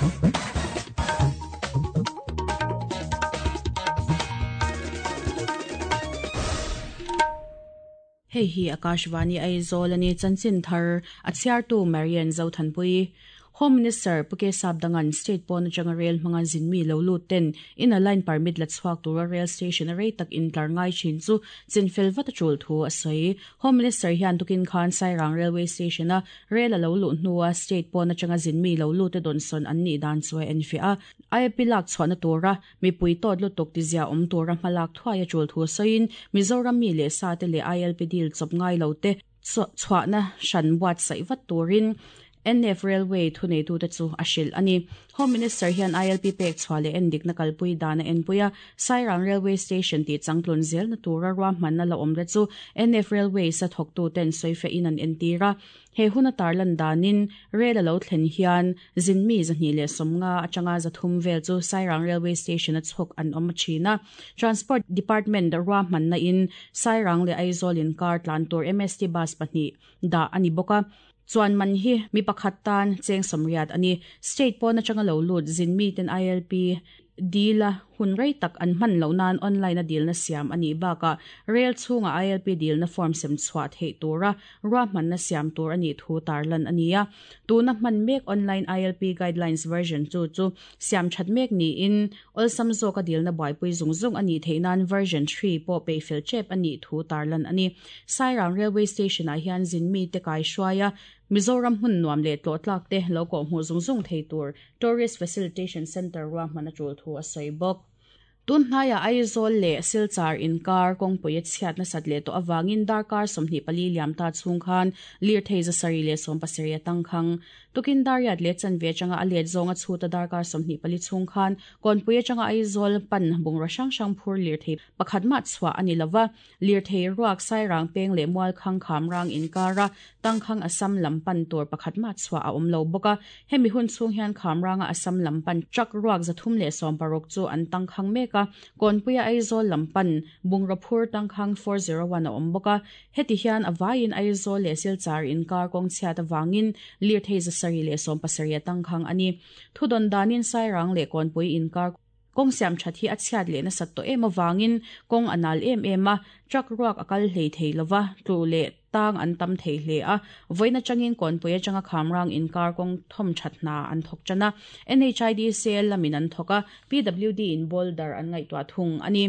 Hei hi Akashvani Aizawl a ni. Chanchin thar a chhiartu Marian Zothanpui. Home Minister Pu K Sapdangan state pawn atanga rail hmanga zinmi lo lut ten inner line permit la chhuak tura rail station a rei tak intlar ngai thin chu chinfel vat a tul thu a sawi. Home Minister hian tukin khan Sairang Railway Station a rail a lo luh hnua state pawn atanga zinmi lo lut te dawnsawn an nih dan chu a enfiah a. IAP lak chhuahna tura Mipui tawt lutuk tizia awm tura hmalak thuai a tul thu sawiin Mizoram mi leh sa te leh ILP deal chawp ngai lo te chhuahna hran buatsaih vat turin NF Railway thuneitute chu a hrilh a ni. Home Minister hian ILP pek chhuah leh endikna kalpui dan a enpui a, Sairang Railway Station tih changtlun zelna tura ruahmanna la awm te chu NF Railways a thawktuten sawifiahin an entir a. He hun a tarlan danin rel a lo thlen hian zinmi 250 atanga 300 vel chu Sairang Railway Station a chhawk an awm thin a. Transport Department ruahmanna in Sairang leh Aizawl inkar tlan tur MST bus pahnih dah a ni bawk a. Chuan man hi mi pakhat tan cheng 80 a ni. State pawn atanga lo lut zinmi ten ILP Dil a hun rei tak an hman loh nan online a dilna siam a nih bakah rel chhunga ILP dilna form sem chhuah theih tura ruahmanna siam tur a nih thu tarlan a ni a. Tuna hman mek online ILP guidelines version chu chu siam that mek niin awlsam zawka dilna buaipui zung zung a nih theih nan version three pawh peihfel tep a nih thu tarlan a ni. Sairang Railway Station-ah hian zinmite kaihruai a Mizoram hmun nuam leh tlawh tlak te lo kawhhmuh zung zung thei tur Tourist Facilitation Centre ruahman a tul thu a sawi bawk. Tun hnaiah Aizawl leh Silchar inkar kawngpui a chhiat nasat leh tawh avangin darkar 24 liam ta chhung khan lirthei 770 a tangkhang. Tukin Dariat leh chanve atanga a let zawnga chhuta darkar 24 chhung khan kawnpui atanga Aizawl pan bungraw hrang hrang phur lirthei pakhat mah chhuah a ni lova. Lirthei ruak Sairang peng leh Mualkhang Khamrang inkara Tangkhang Assam lam pan tur pakhat mah chhuah a awm lo bawk a. Hemi hun chhung hian Khamranga Assam lam pan truck ruak 316 chu an tangkhang mek a, Kawnpuia Aizawl lam pan bungraw phur tangkhang 401 a awm bawk a. Heti hian a vaiin Aizawl leh Silchar inkar kawng chhiat avangin lirthei 770 a tangkhang a ni. Thudawn danin Sairang leh Kawnpui inkar Kawng siam that hi a chhiat leh nasat tawh em avangin kawng a nal em em a, truck ruak a kal hlei thei lova, tlu leh tang an tam thei hle a. Vawiin atangin Kawnpui atanga Khamrang inkar kawng thawm that hna an thawk tan a, NHIDCL lamin an thawk a, PWD in boulder an ngaihtuah thung a ni.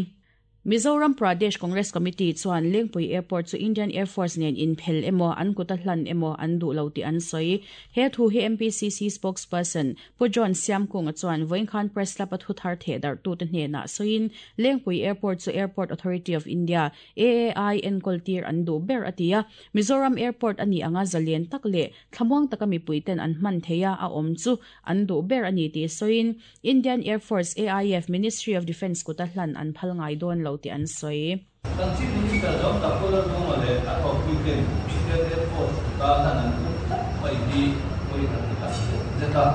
Mizoram Pradesh Congress Committee chuan Lengpui Airport chu Indian Air Force nen inphel emaw, an kuta hlan emaw an duh lo tih an sawi. He thu hi MPCC spokesperson Pu John Siamkunga chuan vawiin Press Club a thu thar theh darhtute hnenah sawiin Lengpui Airport chu Airport Authority of India, AAI, enkawl tir an duh ber a ti a. Mizoram Airport a nih anga zalen tak leh thlamuang taka mipuiten an hman theih a a awm chu an duh ber a ni tih sawiin Indian Air Force, AIF, Ministry of Defence kuta hlan an phal ngai dawn lo tih an sawi. Kan Chief Minister John Takola Lunga leh a thawkpuiten Indian Air Force kuta hlan an tum tlat mai hi pawi an ti tak zet zet a.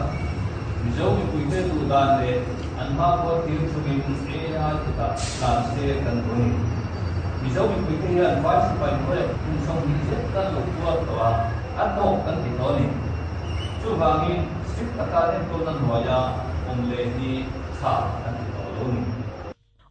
Mizo mipuite duh dan leh an hmakhua thil chungin AAI kutah hlan se kan duh a ni. Mizo mipuite hian vai sipai hnuaiah kum 20 zet kan lo tuar tawh a, a tawk kan ti tawh a ni. Chuvangin, Strict taka enkawlna hnuaia awm leh hi tha kan ti tawh lo ni.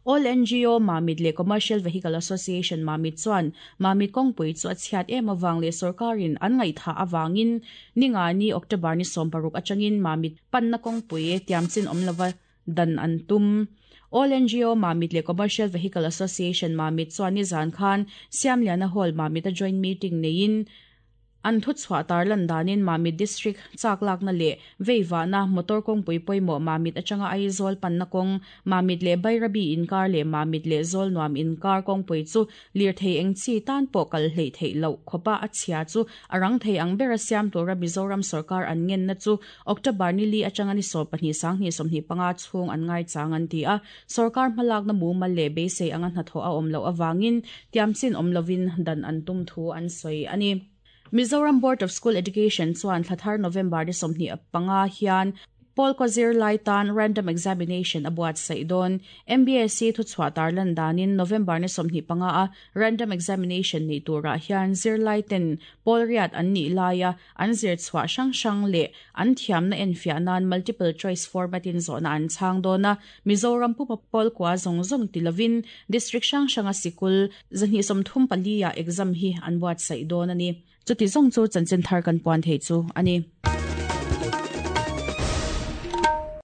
All NGO Mamit leh Commercial Vehicle Association Mamit chuan Mamit kawngpui chu a chhiat em avang leh sorkarin an ngaihthah avangin Ningani, October ni 16 atangin Mamit panna kawngpui tiamchin awm lova dan an tum. All NGO Mamit leh Commercial Vehicle Association Mamit chuan nizan khan Siamliana Hall Mamit a joint meeting neiin An thuchhuah tarlan danin Mamit District chak lakna leh veivahna motor kawngpui pawimawh Mamit atanga Aizawl panna kawng, Mamit leh Bairabi inkar leh Mamit leh Zawlnuam inkar kawngpui chu lirthei eng chi tan pawh kal hleih theih loh khawpa a chhia chu a rang thei ang bera siam tura Mizoram sawrkar an ngenna chu October ni li atanga ni 12 sang 25 chhung an ngaichang an ti a. Sawrkar hmalakna mumal leh beisei anga hnathawh a awm loh avangin tiamchin awm lovin dan an tum thu an sawi a ni. Mizoram Board of School Education chuan thla thar November ni 25 hian. Pawl kaw zirlai tan Random Examination a buatsaih dawn. MBSE thuchhuah tarlan danin November ni 25 a Random Examination neih turah hian zirlai ten pawl riat an nih laia an zir chhuah hrang hrang leh an thiamna enfiah nan multiple choice format in zawhna an chhang dawn a, Mizoram pupa pawl kua zawng zawng ti lovin District hrang hranga sikul 234 ah exam hi an buatsaih dawn a ni. Chuti zawng chu chanchin thar kan puan thei chu a ni.